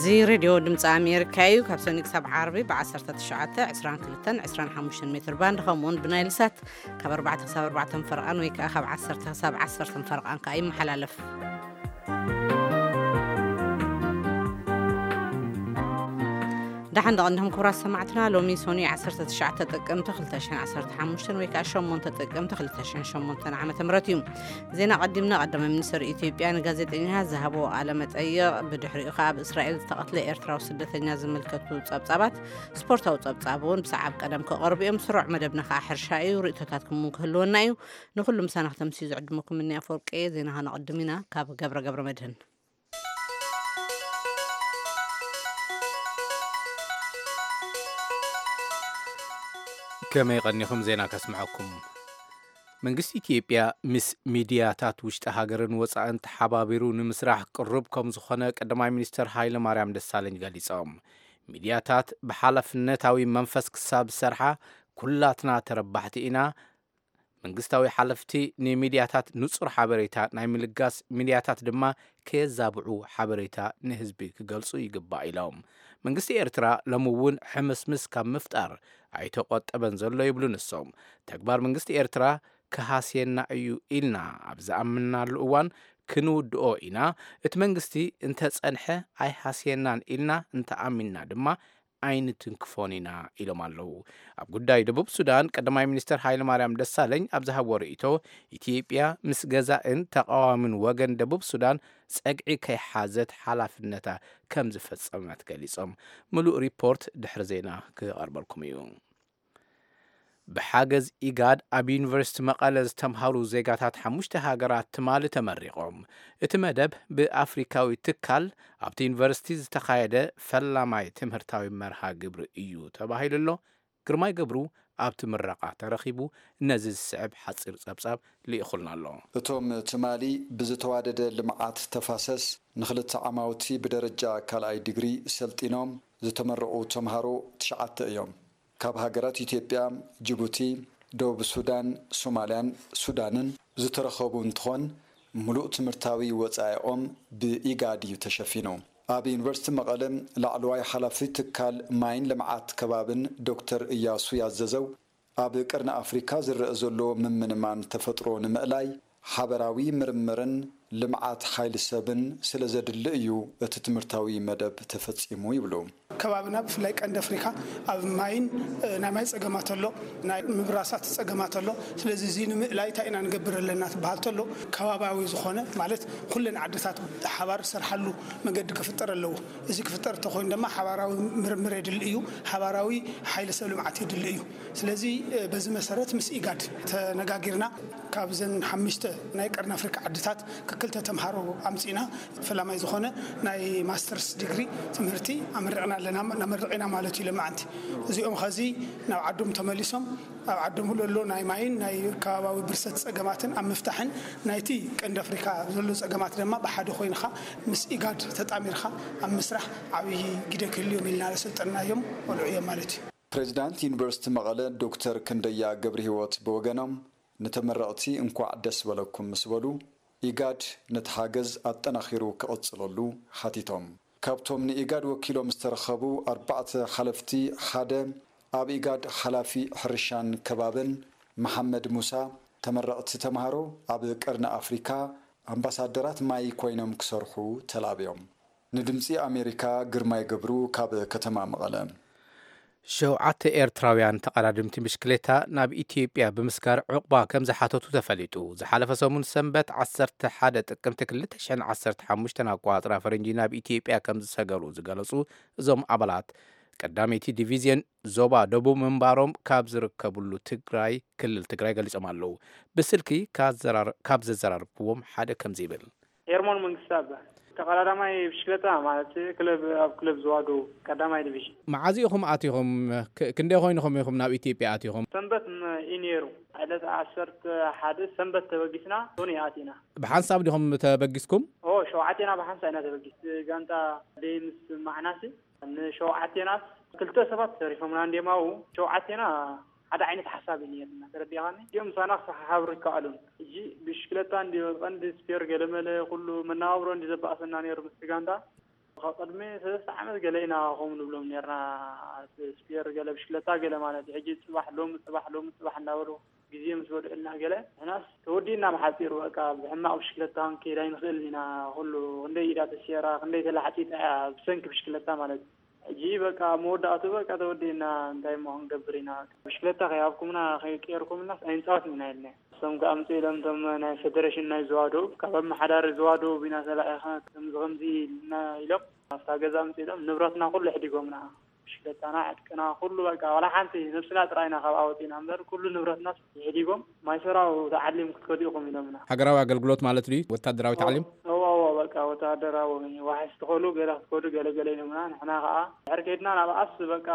እዚ ሬድዮ ድምፂ ኣሜሪካ እዩ። ካብ ሰኒ ክሳብ ዓርቢ ብ19፣ 22፣ 25 ሜትር ባንድ፣ ከምኡውን ብናይል ሳት ካብ ኣርባዕተ ክሳብ ኣርባዕተ ፈረቓን ወይ ከዓ ካብ ዓሰርተ ክሳብ ዓሰርተ ፈረቓን ከዓ ይመሓላለፍ። ደሓን ደቐንድኹም ክቡራት ሰማዕትና። ሎሚ ሶኒ ዓሰርተ ትሽዓተ ጥቅምቲ ክልተ ሽሕን ዓሰርተ ሓሙሽተን ወይ ከዓ ሸሞንተ ጥቅምቲ ክልተ ሽሕን ሸሞንተን ዓመተ ምህረት እዩ። ዜና ቀዲምና። ቀዳማይ ሚኒስትር ኢትዮጵያ ንጋዜጠኛታት ዝሃቦ ቃለ መጠይቕ፣ ብድሕሪኡ ከዓ ኣብ እስራኤል ዝተቐትለ ኤርትራዊ ስደተኛ ዝምልከቱ ጸብጻባት፣ ስፖርታዊ ጸብጻብ እውን ብሰዓብ ቀደም ክቐርቡ እዮም። ስሩዕ መደብና ከዓ ሕርሻ እዩ። ርእይቶታትኩም እውን ክህልወና እዩ። ንኹሉ ምሳና ክተምስዩ ዝዕድመኩም እኒ ኣፈወርቂ። ዜና ከነቐድም ኢና ካብ ገብረ ገብረ መድህን። ከመይ ቀኒኹም? ዜና ከስምዐኩም። መንግስቲ ኢትዮጵያ ምስ ሚድያታት ውሽጢ ሃገርን ወፃእን ተሓባቢሩ ንምስራሕ ቅሩብ ከም ዝኾነ ቀዳማይ ሚኒስትር ሃይለ ማርያም ደሳለኝ ገሊፆም። ሚድያታት ብሓላፍነታዊ መንፈስ ክሳብ ዝሰርሓ ኩላትና ተረባሕቲ ኢና። መንግስታዊ ሓለፍቲ ንሚድያታት ንጹር ሓበሬታ ናይ ምልጋስ፣ ሚድያታት ድማ ከየዛብዑ ሓበሬታ ንህዝቢ ክገልጹ ይግባእ ኢሎም። መንግስቲ ኤርትራ ሎሚ እውን ሕምስምስ ካብ ምፍጣር ኣይተቖጠበን ዘሎ ይብሉ ንሶም። ተግባር መንግስቲ ኤርትራ ክሃስየና እዩ ኢልና ኣብ ዝኣምናሉ እዋን ክንውድኦ ኢና። እቲ መንግስቲ እንተጸንሐ ኣይሃስየናን ኢልና እንተኣሚንና ድማ ኣይንትንክፎን ኢና ኢሎም ኣለዉ። ኣብ ጉዳይ ደቡብ ሱዳን ቀዳማይ ሚኒስትር ሃይለማርያም ደሳለኝ ኣብ ዝሃብዎ ርእይቶ፣ ኢትዮጵያ ምስ ገዛእን ተቓዋምን ወገን ደቡብ ሱዳን ጸግዒ ከይሓዘት ሓላፍነታ ከም ዝፈጸመት ገሊጾም። ምሉእ ሪፖርት ድሕሪ ዜና ክቐርበልኩም እዩ። ብሓገዝ ኢጋድ ኣብ ዩኒቨርሲቲ መቐለ ዝተምሃሩ ዜጋታት ሓሙሽተ ሃገራት ትማሊ ተመሪቖም። እቲ መደብ ብኣፍሪካዊ ትካል ኣብቲ ዩኒቨርሲቲ ዝተኻየደ ፈላማይ ትምህርታዊ መርሃ ግብሪ እዩ ተባሂሉ ኣሎ። ግርማይ ገብሩ ኣብቲ ምረቓ ተረኺቡ ነዚ ዝስዕብ ሓፂር ጸብጻብ ልኢኹልና ኣሎ። እቶም ትማሊ ብዝተዋደደ ልምዓት ተፋሰስ ንኽልተ ዓማውቲ ብደረጃ ካልኣይ ዲግሪ ሰልጢኖም ዝተመረቑ ተምሃሮ ትሽዓተ እዮም። ካብ ሃገራት ኢትዮጵያ፣ ጅቡቲ፣ ደቡብ ሱዳን፣ ሶማልያን ሱዳንን ዝተረኸቡ እንትኾን፣ ምሉእ ትምህርታዊ ወጻኢኦም ብኢጋድ እዩ ተሸፊኑ። ኣብ ዩኒቨርሲቲ መቐለ ላዕለዋይ ሓላፊ ትካል ማይን ልምዓት ከባብን ዶክተር እያሱ ያዘዘው፣ ኣብ ቀርኒ ኣፍሪካ ዝረአ ዘሎ ምምንማን ተፈጥሮ ንምእላይ ሓበራዊ ምርምርን ልምዓት ሓይሊ ሰብን ስለ ዘድሊ እዩ እቲ ትምህርታዊ መደብ ተፈጺሙ ይብሉ። ከባብና ብፍላይ ቀንዲ ኣፍሪካ ኣብ ማይን፣ እ፣ ናይ ማይ ጸገማት ኣሎ፣ ናይ ምብራሳት ጸገማት ኣሎ። ስለዚ እዚ ንምእላይ እንታይ ኢና ንገብር ኣለና ትበሃል ተሎ፣ ከባብያዊ ዝኾነ ማለት ኩለን ዓድታት ሓባር ዝሰርሓሉ መገዲ ክፍጠር ኣለዎ። እዚ ክፍጠር እንተኾይኑ ድማ ሓባራዊ ምርምር የድሊ እዩ፣ ሓባራዊ ሓይሊ ሰብ ልምዓት የድሊ እዩ። ስለዚ፣ እ፣ በዚ መሰረት ምስ ኢጋድ ተነጋጊርና ካብዘን ሓሙሽተ ናይ ቀርኒ ኣፍሪካ ዓድታት ክክልተ ተምሃሮ ኣምፂና ፈላማይ ዝኾነ ናይ ማስተርስ ዲግሪ ትምህርቲ ኣመሪቕና ኣለና፣ ነመርቕ ኢና ማለት እዩ። ለማዓንቲ እዚኦም ኸዚ ናብ ዓዶም ተመሊሶም ኣብ ዓዶም ዘሎ ናይ ማይን ናይ ከባባዊ ብርሰት ጸገማትን ኣብ ምፍታሕን ናይቲ ቀንዲ ኣፍሪካ ዘሎ ጸገማት ድማ ብሓደ ኮይንኻ ምስ ኢጋድ ተጣሚርካ ኣብ ምስራሕ ዓብዪ ግደ ክህልዮም ኢልና ዘሰልጠናዮም ቆልዑ እዮም ማለት እዩ። ፕሬዚዳንት ዩኒቨርሲቲ መቐለ ዶክተር ክንደያ ገብረ ህይወት ብወገኖም፣ ንተመረቕቲ እንኳዕ ደስ በለኩም ምስ በሉ፣ ኢጋድ ነቲ ሓገዝ ኣጠናኺሩ ክቕጽለሉ ሓቲቶም። ካብቶም ንኢጋድ ወኪሎም ዝተረኸቡ ኣርባዕተ ሓለፍቲ ሓደ፣ ኣብ ኢጋድ ሓላፊ ሕርሻን ከባብን መሓመድ ሙሳ፣ ተመረቕቲ ተምሃሮ ኣብ ቀርኒ ኣፍሪካ ኣምባሳደራት ማይ ኮይኖም ክሰርሑ ተላብዮም። ንድምፂ ኣሜሪካ ግርማይ ገብሩ ካብ ከተማ መቐለ። ሸውዓተ ኤርትራውያን ተቐዳድምቲ ብሽክሌታ ናብ ኢትዮጵያ ብምስጋር ዕቑባ ከም ዝሓተቱ ተፈሊጡ። ዝሓለፈ ሰሙን ሰንበት ዓሰርተ ሓደ ጥቅምቲ ክልተ ሽሕን ዓሰርተ ሓሙሽተን ኣቆጻጽራ ፈረንጂ ናብ ኢትዮጵያ ከም ዝሰገሩ ዝገለጹ እዞም ኣባላት፣ ቀዳመይቲ ዲቪዝዮን ዞባ ደቡብ ምንባሮም ካብ ዝርከብሉ ትግራይ፣ ክልል ትግራይ ገሊጾም ኣለዉ። ብስልኪ ካዘራር-፣ ካብ ዘዘራረብክዎም ሓደ ከምዚ ይብል። ኤርሞን መንግስቱ ኣባ ተቐዳዳማይ ብሽክለታ ማለት ክለብ፣ ኣብ ክለብ ዝዋዱ ቀዳማይ ዲቪዥን። መዓዝ ኢኹም ኣቲኹም? ክ-፣ ክንደይ ኮይንኹም ኢኹም ናብ ኢትዮጵያ ኣቲኹም? ሰንበት ም-፣ እዩ ነይሩ። ዕለት ዓሰርተ ሓደ ሰንበት ተበጊስና ሶኒ ኣቲና። ብሓንሳብ ዲኹም ተበጊስኩም? ኦ፣ ሸውዓቴና ብሓንሳብ ኢና ተበጊስ። ጋንታ ደይ ምስ ማዕናሲ ንሸውዓቴናስ ክልተ ሰባት ተሪፎምና እንዲዮም ኣብኡ። ሸውዓቴና ሓደ ዓይነት ሓሳብ እዩ ነይርና፣ ተረዲእኻኒ? እዚኦም ምሳና ክሰሓሓብሩ ይከኣሉን። ሕጂ ብሽክለታ እንዲ ቀንዲ ስፔር ገለመለ ኩሉ መነባብሮ እንዲ ዘባእሰና ነይሩ ምስቲ ጋንታ። ካብ ቅድሚ ሰለስተ ዓመት ገለ ኢና ከምኡ ንብሎም ነርና። ስፒየር ገለ ብሽክለታ ገለ ማለት እዩ። ሕጂ ጽባሕ ሎሚ ጽባሕ ሎሚ ጽባሕ እንዳበሉ ግዜ ምስ ወድእልና ገለ ንሕናስ ተወዲእና ብሓጺሩ በቃ ብሕማቕ ብሽክለታ ክንከይድ ኣይንኽእልን ኢና። ኩሉ ክንደይ ኢዳ ተሲራ ክንደይ ተላሕጢጣ እያ ብሰንኪ ብሽክለታ ማለት እዩ። ሕጂ በቃ መወዳእቱ በቃ ተወዲእና እንታይ እሞ ክንገብር ኢና። ብሽክለታ ከይሃብኩምና ከይቀየርኩምናስ ኣይንጻወትን ኢና ኢልና። እሶም ከኣ ኣምጽኡ ኢሎም እቶም ናይ ፌደሬሽን ናይ ዝዋ ዶብ ካብ ኣመሓዳሪ ዝዋ ዶብ ኢና ተላኢኻ ከምዚ ከምዚ ኢልና ኢሎም ኣብታ ገዛ ኣምጽኡ ኢሎም ንብረትና ኩሉ ኣሕዲጎምና። ብሽክለታና ዕጥቅና ኩሉ በቃ ዋላ ሓንቲ ነብስና ጥራይ ኢና ካብ ኣወጺና እምበር ኩሉ ንብረትና ኣሕዲጎም ማይሰራው ተዓሊም ክትከዱ ኢኹም ኢሎምና። ሃገራዊ ኣገልግሎት ማለት ድዩ? ወታደራዊ ታዕሊም? እዋ እዋ በቃ ወታደራዊ ዋሕስ ትኸሉ ገለ ክትከዱ ገለ ገለ ኢሎምና። ንሕና ከዓ ድሕር ከይድና ናብ ኣስ በቃ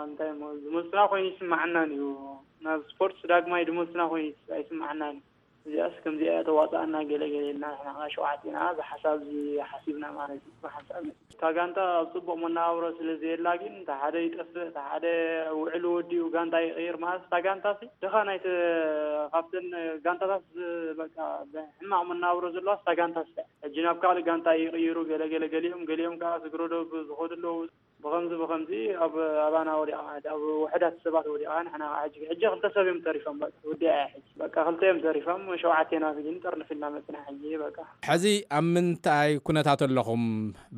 እንታይ እሞ ዝመልሱና ኮይኑ ይስማዓናን እዩ። ናብ ስፖርትስ ዳግማይ ዝመልሱና ኮይኑ ኣይስማዓናን እዩ። እዚኣስ ከምዚኣ እያ ተዋፅኣና ገለ ገለ ኢልና ንሕና ከዓ ሸውዓቴና እዚ ሓሳብ እዚ ሓሲብና ማለት እዩ። ብሓንሳብ እታ ጋንታ ኣብ ፅቡቕ መነባብሮ ስለ ዘየላ ግን እታ ሓደ ይጠፍእ እታ ሓደ ውዕሉ ወዲኡ ጋንታ ይቕይር ማለት እታ ጋንታ ሲ ድኻ ናይቲ ካብተን ጋንታታት ዝ- በቃ ብሕማቕ መነባብሮ ዘለዋ እታ ጋንታ ሲ ሕጂ ናብ ካልእ ጋንታ ይቕይሩ ገለ ገለ ገሊኦም ገሊኦም ከዓ ስግረዶ ዝኸዱ ኣለዉ። ብኸምዚ ብኸምዚ ኣብ ኣባና ወዲኣ ማለት ኣብ ውሕዳት ሰባት ወዲኣ ንሕና ከዓ ሕጂ ሕጂ ክልተ ሰብ እዮም ተሪፎም በቃ ወዲኣ እያ ሕጂ በቃ ክልተ እዮም ተሪፎም ሸውዓቴና ግን ጠርንፍ ኢልና መፅና ሕጂ በቃ። ሕዚ ኣብ ምንታይ ኩነታት ኣለኹም?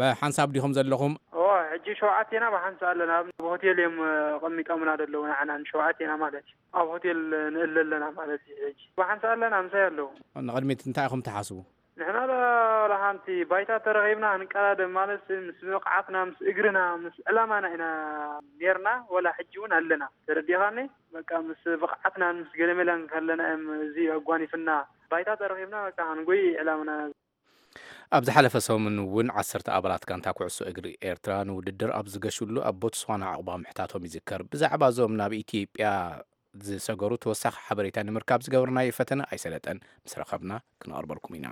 ብሓንሳብ ዲኹም ዘለኹም? እዋ ሕጂ ሸውዓቴና ብሓንሳ ኣለና ኣብ ሆቴል እዮም ቀሚጦምና ዘለዉ ንዓና ንሸውዓቴና ማለት እዩ ኣብ ሆቴል ንእለ ኣለና ማለት እዩ ሕጂ ብሓንሳ ኣለና ምሳይ ኣለዉ። ንቕድሚት እንታይ ኢኹም ትሓስቡ? ንሕና ዶ ወላ ሓንቲ ባይታ ተረኺብና ክንቀዳደም ማለት ምስ ብቕዓትና ምስ እግርና ምስ ዕላማና ኢና ኔርና ወላ ሕጂ እውን ኣለና ተረዲኻኒ በቃ ምስ ብቕዓትናን ምስ ገለመላን ከለና እዮም እዚ ኣጓኒፍና ባይታ ተረኺብና በቃ ክንጎይ ዕላምና። ኣብ ዝሓለፈ ሰሙን እውን ዓሰርተ ኣባላት ጋንታ ኩዕሶ እግሪ ኤርትራ ንውድድር ኣብ ዝገሽሉ ኣብ ቦትስዋና ዕቑባ ምሕታቶም ይዝከር። ብዛዕባ እዞም ናብ ኢትዮጵያ ዝሰገሩ ተወሳኺ ሓበሬታ ንምርካብ ዝገበርናዮ ፈተነ ኣይሰለጠን። ምስ ረኸብና ክነቕርበልኩም ኢና።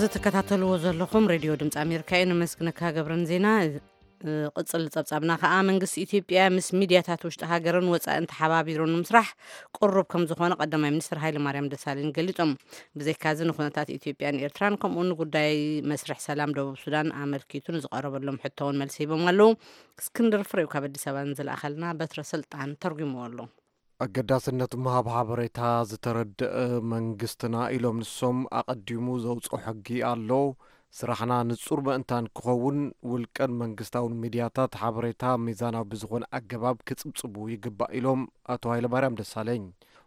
ዝትከታተልዎ ዘለኹም ሬድዮ ድምፂ ኣሜሪካ እዩ። ነመስግነካ ገብረን ዜና። ቅፅል ፀብፃብና ከዓ መንግስቲ ኢትዮጵያ ምስ ሚድያታት ውሽጢ ሃገርን ወፃእን ተሓባቢሩ ንምስራሕ ቅሩብ ከም ዝኾነ ቀዳማይ ሚኒስትር ሃይለ ማርያም ደሳለኝ ገሊፆም። ብዘይካዚ ንኩነታት ኢትዮጵያን ኤርትራን ከምኡ ንጉዳይ መስርሕ ሰላም ደቡብ ሱዳን ኣመልኪቱ ንዝቐረበሎም ሕቶ እውን መልሲ ሂቦም ኣለዉ። እስክንድር ፍሬው ካብ ኣዲስ ኣበባ ንዝለኣኸልና በትረ ስልጣን ተርጉምዎ ኣሎ። ኣገዳስነት ምሃብ ሓበሬታ ዝተረድአ መንግስትና ኢሎም ንሶም ኣቐዲሙ ዘውፅኦ ሕጊ ኣሎ። ስራሕና ንፁር ምእንታን ክኸውን ውልቀን መንግስታውን ሚድያታት ሓበሬታ ሚዛናዊ ብዝኾነ ኣገባብ ክፅብፅቡ ይግባእ ኢሎም ኣቶ ሃይለማርያም ደሳለኝ።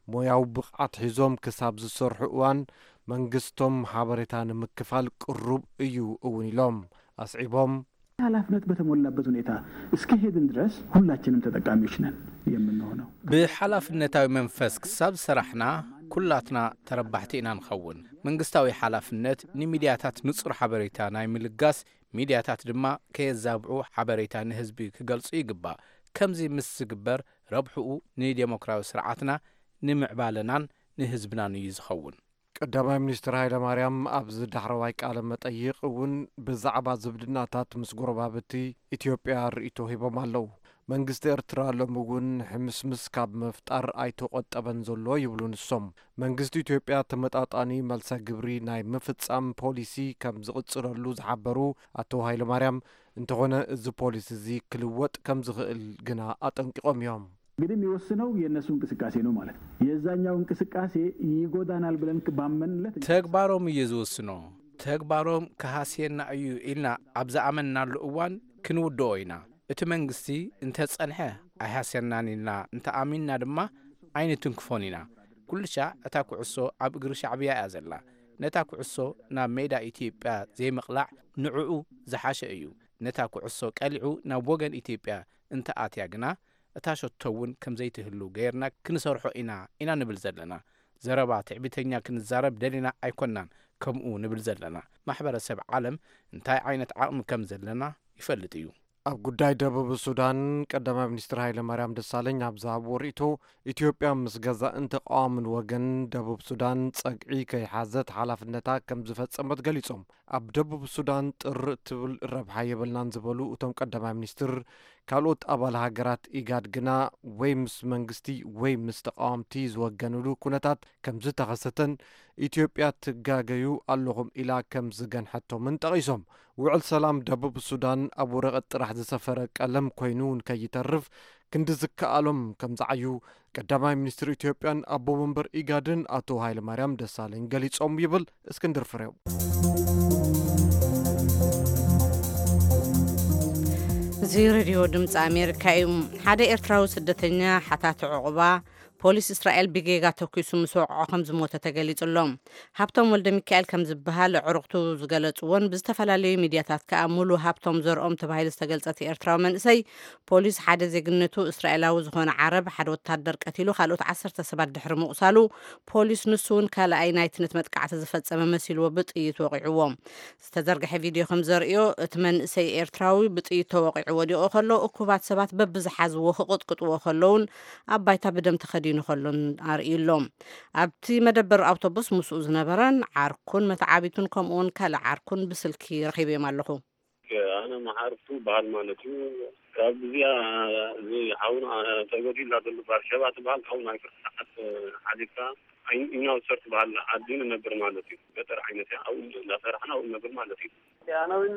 ሞያዊ ብቕዓት ሒዞም ክሳብ ዝሰርሑ እዋን መንግስቶም ሓበሬታ ንምክፋል ቅሩብ እዩ እውን ኢሎም ኣስዒቦም። ኃላፊነት በተሞላበት ሁኔታ እስከሄድን ድረስ ሁላችንም ተጠቃሚዎች ነን የምንሆነው። ብሓላፍነታዊ መንፈስ ክሳብ ዝሰራሕና ኩላትና ተረባሕቲ ኢና ንኸውን። መንግስታዊ ሓላፍነት ንሚድያታት ንጹር ሓበሬታ ናይ ምልጋስ፣ ሚድያታት ድማ ከየዛብዑ ሓበሬታ ንህዝቢ ክገልጹ ይግባእ። ከምዚ ምስ ዝግበር ረብሕኡ ንዴሞክራዊ ስርዓትና ንምዕባለናን ንህዝብናን እዩ ዝኸውን። ቀዳማይ ሚኒስትር ሃይለማርያም ኣብዚ ዳሕረዋይ ቃለ መጠይቕ እውን ብዛዕባ ዝምድናታት ምስ ጎረባብቲ ኢትዮጵያ ርእይቶ ሂቦም ኣለዉ። መንግስቲ ኤርትራ ሎሚ እውን ሕምስምስ ካብ ምፍጣር ኣይተቖጠበን ዘሎ ይብሉ ንሶም። መንግስቲ ኢትዮጵያ ተመጣጣኒ መልሰ ግብሪ ናይ ምፍጻም ፖሊሲ ከም ዝቕጽለሉ ዝሓበሩ ኣቶ ሃይለማርያም፣ እንተኾነ እዚ ፖሊሲ እዚ ክልወጥ ከም ዝኽእል ግና ኣጠንቂቖም እዮም። እንግዲህ የሚወስነው የእነሱ እንቅስቃሴ ነው ማለት ነው። የዛኛው እንቅስቃሴ ይጎዳናል ብለን ባመንለት ተግባሮም እዩ ዝውስኖ። ተግባሮም ክሃስየና እዩ ኢልና ኣብ ዝኣመንናሉ እዋን ክንውድኦ ኢና። እቲ መንግስቲ እንተጸንሐ ኣይሃስየናን ኢልና እንተኣሚንና ድማ ኣይንትንክፎን ኢና። ኩልሻዕ እታ ኩዕሶ ኣብ እግሪ ሻዕብያ እያ ዘላ። ነታ ኩዕሶ ናብ ሜዳ ኢትዮጵያ ዘይምቕላዕ ንዕኡ ዝሓሸ እዩ። ነታ ኩዕሶ ቀሊዑ ናብ ወገን ኢትዮጵያ እንተኣትያ ግና እታ ሸቶ እውን ከምዘይትህሉ ገይርና ክንሰርሖ ኢና ኢና ንብል ዘለና። ዘረባ ትዕቢተኛ ክንዛረብ ደሊና ኣይኮናን ከምኡ ንብል ዘለና። ማሕበረሰብ ዓለም እንታይ ዓይነት ዓቕሚ ከም ዘለና ይፈልጥ እዩ። ኣብ ጉዳይ ደቡብ ሱዳን ቀዳማይ ሚኒስትር ሃይለማርያም ደሳለኝ ኣብ ዝሃብዎ ርእይቶ፣ ኢትዮጵያ ምስ ገዛእን ተቓዋምን ወገን ደቡብ ሱዳን ጸግዒ ከይሓዘት ሓላፍነታ ከም ዝፈጸመት ገሊጾም። ኣብ ደቡብ ሱዳን ጥር እትብል ረብሓ የብልናን ዝበሉ እቶም ቀዳማይ ሚኒስትር፣ ካልኦት ኣባል ሃገራት ኢጋድ ግና ወይ ምስ መንግስቲ ወይ ምስ ተቓወምቲ ዝወገንሉ ኩነታት ከም ዝተኸሰተን ኢትዮጵያ ትጋገዩ ኣለኹም ኢላ ከም ዝገንሐቶምን ጠቒሶም። ውዕል ሰላም ደቡብ ሱዳን ኣብ ወረቐት ጥራሕ ዝሰፈረ ቀለም ኮይኑ ንከይተርፍ ክንዲ ዝከኣሎም ከም ዝዓዩ ቀዳማይ ሚኒስትር ኢትዮጵያን ኣቦ መንበር ኢጋድን ኣቶ ሃይለማርያም ደሳለኝ ገሊጾም ይብል እስክንድር ፍሬው። እዚ ሬድዮ ድምፂ ኣሜሪካ እዩ። ሓደ ኤርትራዊ ስደተኛ ሓታቲ ዕቑባ ፖሊስ እስራኤል ብጌጋ ተኲሱ ምስ ወቕዖ ከም ዝሞተ ተገሊጹ ኣሎ። ሃብቶም ወልደ ሚካኤል ከም ዝበሃል ኣዕሩኽቱ ዝገለጽዎን ብዝተፈላለዩ ሚድያታት ከኣ ሙሉ ሃብቶም ዘርኦም ተባሂሉ ዝተገልጸ እቲ ኤርትራዊ መንእሰይ፣ ፖሊስ ሓደ ዜግነቱ እስራኤላዊ ዝኾነ ዓረብ ሓደ ወታደር ቀቲሉ ካልኦት ዓሰርተ ሰባት ድሕሪ ምቑሳሉ፣ ፖሊስ ንሱ እውን ካልኣይ ናይቲ ነቲ መጥቃዕቲ ዝፈጸመ መሲልዎ ብጥይት ወቒዕዎ። ዝተዘርግሐ ቪድዮ ከም ዘርእዮ፣ እቲ መንእሰይ ኤርትራዊ ብጥይት ተወቒዑ ወዲቑ ከሎ፣ እኩባት ሰባት በብዝሓዝዎ ክቕጥቅጥዎ ከለውን ኣብ ባይታ ብደም ተኸዲኑ ከሎን ኣርእዩ ኣሎ። ኣብቲ መደበር ኣውቶቡስ ምስኡ ዝነበረን ዓርኩን መተዓቢቱን ከምኡውን ካልእ ዓርኩን ብስልኪ ረኺበዮም ኣለኹ። ኣነ መሓርቱ በሃል ማለት እዩ። ካብ እዚኣ እዚ ሓውና ተጎዲላ ዘሎ ባርሸባ ትበሃል፣ ካብኡ ናይ ፍርቂ ሰዓት ሓሊፍካ፣ ኢናውሰር ትበሃል ዓዲ ንነብር ማለት እዩ። ገጠር ዓይነት እያ። ኣብኡ እንዳሰራሕና ኣብኡ ንነብር ማለት እዩ። ኣነ እውን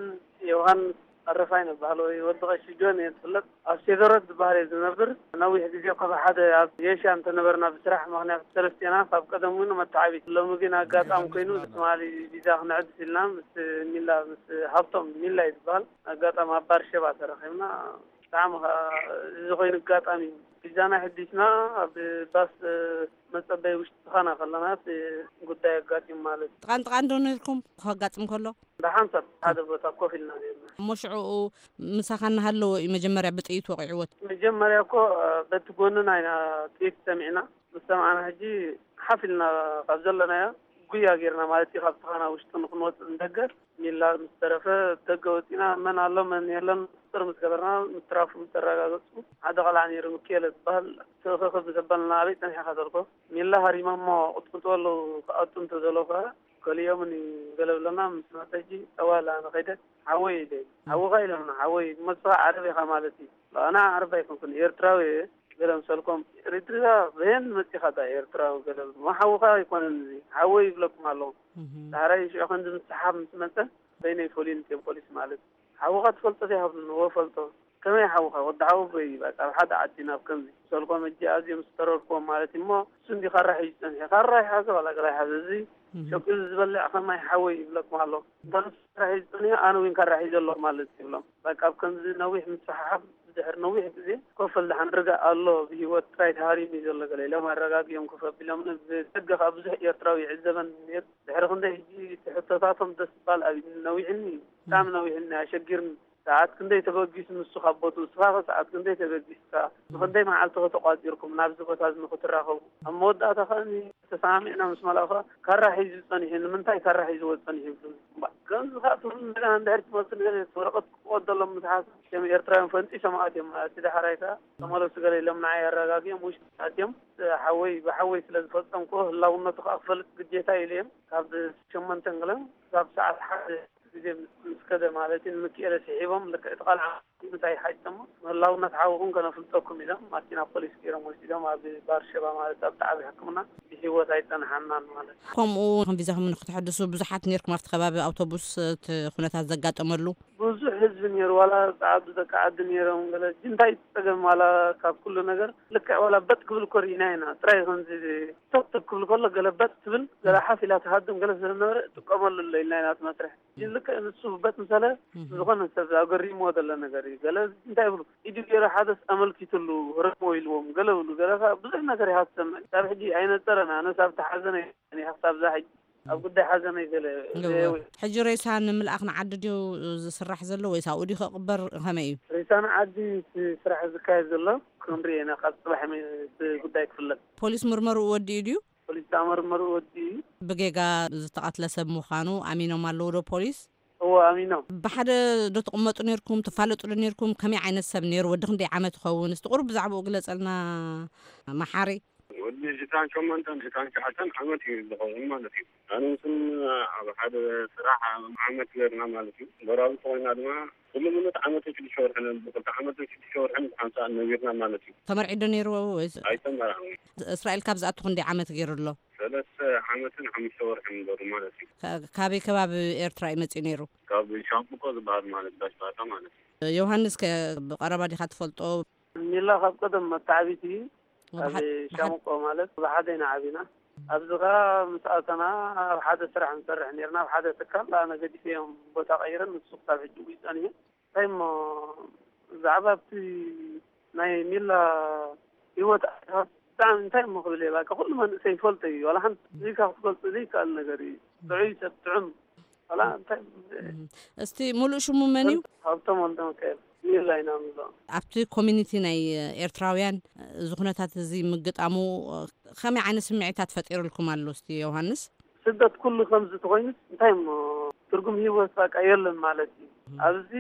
ዮሃንስ ኣረፋይነ በሃል ወይ ወዲ ቀሺ ጆን እየ ዝፍለጥ። ኣብ ሴደሮት ዝበሃል እየ ዝነብር። ነዊሕ ግዜ እኮ ብሓደ ኣብ ጌሻ እንተነበርና ብስራሕ ምኽንያት ሰለስቴና ካብ ቀደም እውን መተዓቢት። ሎሚ ግን ኣጋጣሚ ኮይኑ ትማሊ ቪዛ ክንዕድስ ኢልና ምስ ሚላ፣ ምስ ሃብቶም ሚላ እዩ ዝበሃል። ኣጋጣሚ ኣብ ባርሸባ ተረኺብና። ብጣዕሚ ኸዓ እዚ ኮይኑ ኣጋጣሚ እዩ። ቪዛና ሕዲስና ኣብ ባስ መጸበይ ውሽጢ ተኻና ከለና እቲ ጉዳይ ኣጋጢሙ ማለት እዩ። ጥቓን ጥቓን ዶ ነርኩም ከጋጥም ከሎ? ብሓንሳብ ሓደ ቦታ ኮፍ ኢልና ነርና። እሞ ሽዑኡ ምሳኻ እናሃለወ እዩ መጀመርያ ብጥይት ወቒዕዎ? መጀመርያ እኮ በቲ ጎንና ኢና ጥይት ሰሚዕና። ምስ ሰማዕና ሕጂ ሓፍ ኢልና ካብ ዘለናዮ ጉያ ጌርና ማለት እዩ። ካብ ተኻና ውሽጢ ንክንወፅእ ንደገ ሚላ ምስ ተረፈ ደገ ወፂና መን ኣሎ መን የለን ቁፅፅር ምስ ገበርና ምትራፉ ምስ ተረጋገፁ ሓደ ቆልዓ ነይሩ ምክኤለ ዝበሃል ትእኽኽ ምስ ኣበልና ኣበይ ፀኒሕኻ ተልኮ ሚላ ሃሪሞሞ ቅጥቅጥዎ ኣለዉ ክኣቱ እንተዘለዉ ከዓ ከሊኦምኒ ገለ ብለና ምስ መፀ ሕጂ ጠዋላ ንኸይደ ሓወይ ኢለ ሓውኻ ኢሎምና ሓወይ እሞ ንስኻ ዓረብ ኢኻ ማለት እዩ። ኣነ ዓረብ ኣይኮንኩን ኤርትራዊ እየ። ገለ ምሰልኮም ኤሪትሪያ በየን መጺኻ ዳ ኤርትራዊ ገለ እሞ ሓውኻ ኣይኮነን እዚ ሓወይ ይብለኩም ኣለኹ። ዳሕራይ ሽዑ ከምዚ ምስሓብ ምስ መጸ በይነይ ፈልዩኒ እትዮም ፖሊስ ማለት ሓውኻ ትፈልጦ ዘይሃብሉኒ ወ ፈልጦ ከመይ ሓውኻ ወዲ ሓወቦይ በቃ ኣብ ሓደ ዓዲ ናብ ከምዚ ምሰልኮም እጂ ኣዝዮም ዝተረርክዎም ማለት እሞ እሱ እንዲ ካራ ሒዙ ጸኒሐ ካራ ይሓዘ ዋላ ገላ ይሓዘ እዚ ሸቂሉ ዝበልዕ ከማይ ሓወይ ይብለኩም ኣለኹ። እንተ ንሱ ካራ ሒዙ ጸኒሑ ኣነ እውን ካራ ሒዘ ኣለኹ ማለት ይብሎም። በቃ ኣብ ከምዚ ነዊሕ ምስሕሓብ ብድሕሪ ነዊሕ ግዜ ኮፈል ደሓን ርጋእ ኣሎ ብህይወት ጥራይ ተሃሪሙ እዩ ዘሎ ገለ ኢሎም ኣረጋጊኦም ኮፍ ኣቢሎምኒ። ብደገ ከኣ ብዙሕ ኤርትራዊ ይዕዘበኒ ነይሩ። ድሕሪ ክንደይ ሕጂ እቲ ሕቶታቶም ደስ ባል ኣብዩኒ ነዊሕኒ እዩ። ብጣዕሚ ነዊሕኒ ኣሸጊርኒ። ሰዓት ክንደይ ተበጊሱ ንሱ ካብ ቦትኡ እስኻ ከ ሰዓት ክንደይ ተበጊስካ ንክንደይ መዓልቲ ከ ተቋጺርኩም ናብዚ ቦታ እዚ ንክትራኸቡ ኣብ መወዳእታ ከኣ ተሰማሚዕና ምስ መላእኻ ካራ ሒዙ ጸኒሑ ንምንታይ ካራ ሒዝዎ ጸኒሑ ይብሉ እምበር ከምዚ ከኣ ትብሉ እንደገና እንድሕር ትመልሱ ነገር ወረቐት ክቆደሎም ምትሓስ ከም ኤርትራውያን ፈንጢሶም ኣትዮም እቲ ዳሕራይ ከኣ ተመለሱ ገለ ኢሎም ንዓይ ኣረጋጊኦም ውሽጢ ኣትዮም ሓወይ ብሓወይ ስለ ዝፈጸምክዎ ህላውነቱ ከኣ ክፈልጥ ግዴታ ኢሉ እዮም ካብ ሸሞንተን ገለን ክሳብ ሰዓት ሓደ ግዜ ምስ ከደ ማለት እዩ ንምክኤለ ስሒቦም ልክዕ እቲ ቃልዓ ምንታይ ሓይጠሞ ምህላውና ተሓውኹም ከነፍልጠኩም ኢሎም ማኪና ፖሊስ ገይሮም ወሲዶም ኣብ ባርሸባ ማለት ኣብቲ ዓብዪ ሕክምና ብሂወት ኣይፀንሓናን ማለት እዩ። ከምኡ ከም ቪዛኹም ንክትሕድሱ ብዙሓት ነርኩም ኣብቲ ከባቢ ኣውቶቡስ እቲ ኩነታት ዘጋጠመሉ? ብዙሕ ህዝቢ ነይሩ ዋላ ፃዓዱ ደቂ ዓዲ ነይሮም ገለ እንታይ ፀገም ዋላ ካብ ኩሉ ነገር ልክዕ ዋላ በጥ ክብል እኮ ርኢና ኢና ጥራይ ከምዚ ተብተብ ክብል ከሎ ገለ በጥ ትብል ገለ ሓፍ ኢላ ትሃድም ገለ ስለነበረ ጥቀመሉ ኣሎ ኢልና ኢና እቲ መስርሕ ልክዕ ንሱ በት ምሰለ ዝኾነ ሰብ ኣገሪምዎ ዘሎ ነገር እዩ ገለ እንታይ ይብሉ ኢዱ ገይሩ ሓደስ ኣመልኪትሉ ረሞ ኢልዎም ገለ ብሉ ገለ ከዓ ብዙሕ ነገር ኢኻ ትሰምዕ ካብ ሕጂ ኣይነፀረን ኣነስ ኣብቲ ሓዘነ ክሳብ ዛ ሕጂ ኣብ ጉዳይ ሓዘነ ገለ ሕጂ ሬሳ ንምልኣኽ ንዓዲ ድዩ ዝስራሕ ዘሎ ወይስ ኣብኡ ድዩ ክቕበር ከመይ እዩ? ሬሳ ንዓዲ እቲ ስራሕ ዝካየድ ዘሎ ክንሪኦ ኢና ካብ ፅባሕ ጉዳይ ክፍለጥ። ፖሊስ ምርመርኡ ወዲኡ ድዩ? ፖሊስ ዝኣመርመሩ ወዲ እዩ። ብጌጋ ዝተቐትለ ሰብ ምዃኑ ኣሚኖም ኣለዉ ዶ ፖሊስ? እዎ፣ ኣሚኖም። ብሓደ ዶ ትቕመጡ ነርኩም? ትፋለጡ ዶ ነርኩም? ከመይ ዓይነት ሰብ ነይሩ? ወዲ ክንደይ ዓመት ይኸውን? እስቲ ቁሩብ ብዛዕባኡ ግለጸልና መሓሪ። ወዲ ሽታን ሸሞንተን ሽታን ትሽዓተን ዓመት እዩ ዝኸውን ማለት እዩ። ኣነ ምስን ኣብ ሓደ ስራሕ ዓመት ገርና ማለት እዩ። ጎራብቲ ኮይና ድማ ኩሉ ምሉት ዓመትን ሽዱሽተ ወርሕን፣ ብክልተ ዓመትን ሽዱሽተ ወርሕን ብሓንሳእ ነቢርና ማለት እዩ። ተመርዒ ዶ ነይሩ ወይስ? ኣይተመርዓን። እስራኤል ካብ ዝኣቱ ክንደይ ዓመት ገይሩ ኣሎ? ሰለስተ ዓመትን ሓሙሽተ ወርሕን ገሩ ማለት እዩ። ካ-፣ ካበይ ከባቢ ኤርትራ እዩ መጺኡ ነይሩ? ካብ ሻምብቆ ዝበሃል ማለት ባሽባታ ማለት እዩ። ዮሃንስ ከ ብቐረባ ዲኻ ትፈልጦ? ሚላ ካብ ቀደም መተዓቢቲ እዩ። ኣብ ኣብ ሓደ፣ ሻምቆ ማለት ብሓደ ኢና ዓቢና። ኣብዚ ኸኣ ምስ ኣተና ኣብ ሓደ ስራሕ ንሰርሕ ነርና፣ ኣብ ሓደ ትካል ኣነ ገዲፈዮም ቦታ ቀይረን፣ ንሱ ክሳብ ሕጂ እዩ ጸኒሑ። እንታይ እሞ ብዛዕባ ኣብቲ ናይ ሚላ ህይወት ብጣዕሚ እንታይ እሞ ክብል እየ፣ በቃ ኩሉ መንእሰይ ይፈልጦ እዩ። ዋላ ሓንቲ ዘይካ ክትገልጾ ዘይከኣል ነገር እዩ። ጥዑይ ሰብ፣ ጥዑም። ዋላ እንታይ እም። እስቲ ሙሉእ ሽሙ መን እዩ? ሃብቶም ወልደ ሚካኤል ሚላ ኢና ንብሎ። ኣብቲ ኮሚኒቲ ናይ ኤርትራውያን እዚ ኩነታት እዚ ምግጣሙ ከመይ ዓይነት ስምዒታት ፈጢሩልኩም ኣሎ? እስቲ ዮሃንስ። ስደት ኩሉ ከምዚ ተኾይኑ እንታይ እሞ ትርጉም ህይወት በቃ የለን ማለት እዩ። ኣብዚ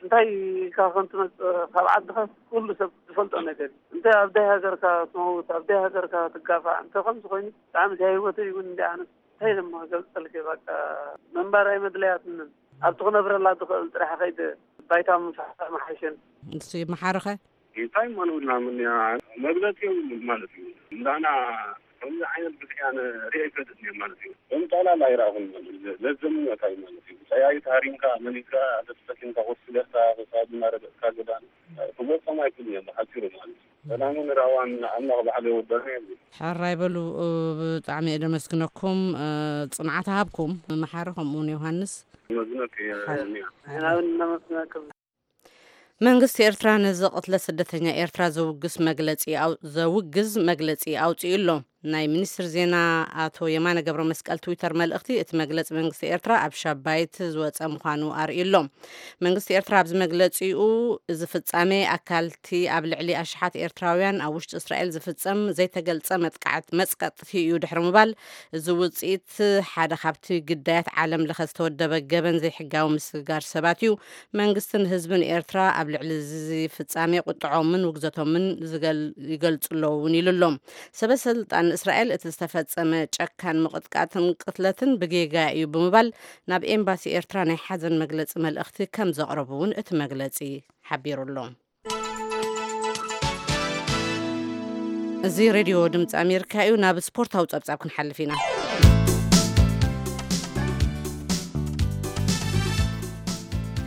እንታይ ኢልካ ከም ትመጽእ ካብ ዓድኻ ኩሉ ሰብ ዝፈልጦ ነገር እዩ። እንታይ ኣብ ዳይ ሃገርካ ትመውት፣ ኣብ ዳይ ሃገርካ ትጋፋዕ፣ እንተ ከምዚ ኮይኑ ብጣዕሚ ዳይ ህይወተይ እውን እንዲ ኣነስ እንታይ ድማ ገልጸልከ በቃ ምንባር ኣይመድለያትንን። ኣብቲ ክነብረላ ዝኽእል ጥራሕ ከይደ ባይታ ምፍሓር መሓሸን። እሱ ይመሓርኸ? እንታይ እሞ ንብልና ምን እያ? መግለጺ የብሉን ማለት እዩ። እንዳና ከምዚ ዓይነት ብክያን ሪኦ ይፈልጥ እየ ማለት እዩ። ከም ጠቕላላ ኣይረኣኹን ማለት እዩ። ለዘምነታይ ማለት እዩ። ጠያይት ሃሪምካ፣ መሊስካ፣ ተስፈቲንካ፣ ኮስለካ፣ ተሳድና ረገጽካ ገዳን ክመጾም ኣይክእልን እዮም ብሓጺሩ ማለት እዩ። ሰላምን ራዋን ኣምላኽ ባዕሉ የወደና የብሉ። ሕራይ በሉ፣ ብጣዕሚ እየ ደመስግነኩም፣ ጽንዓት ሃብኩም። መሓሪ ከምኡ እውን ዮሃንስ። መዝነክ እየ። ሓ-፣ ንያ። ንሕና እውን እናመስግነኩም። መንግስቲ ኤርትራ ነዚ ቅትለት ስደተኛ ኤርትራ ዘውግስ መግለጺ ኣው-፣ ዘውግዝ መግለጺ ኣውጺኡ ኣሎ። ናይ ሚኒስትር ዜና ኣቶ የማነ ገብረ መስቀል ትዊተር መልእኽቲ፣ እቲ መግለጺ መንግስቲ ኤርትራ ኣብ ሻባይት ዝወጸ ምዃኑ ኣርእዩ ኣሎ። መንግስቲ ኤርትራ ኣብዚ መግለጺኡ፣ እዚ ፍጻሜ ኣካልቲ ኣብ ልዕሊ ኣሽሓት ኤርትራውያን ኣብ ውሽጢ እስራኤል ዝፍጸም ዘይተገልጸ መጥቃዕት-፣ መጽቀጥቲ እዩ ድሕሪ ምባል፣ እዚ ውጽኢት ሓደ ካብቲ ግዳያት ዓለም ለኸ ዝተወደበ ገበን ዘይሕጋዊ ምስግጋር ሰባት እዩ። መንግስትን ህዝብን ኤርትራ ኣብ ልዕሊ እዚ ፍጻሜ ቁጥዖምን ውግዘቶምን ዝገል-፣ ይገልጹ ኣለዉ እውን ኢሉ ኣሎ። ሰበ ስልጣን እስራኤል እቲ ዝተፈጸመ ጨካን ምቕጥቃጥን ቅትለትን ብጌጋ እዩ ብምባል ናብ ኤምባሲ ኤርትራ ናይ ሓዘን መግለጺ መልእኽቲ ከም ዘቕረቡ እውን እቲ መግለጺ ሓቢሩ ኣሎ። እዚ ሬድዮ ድምፂ ኣሜሪካ እዩ። ናብ ስፖርታዊ ጸብጻብ ክንሓልፍ ኢና።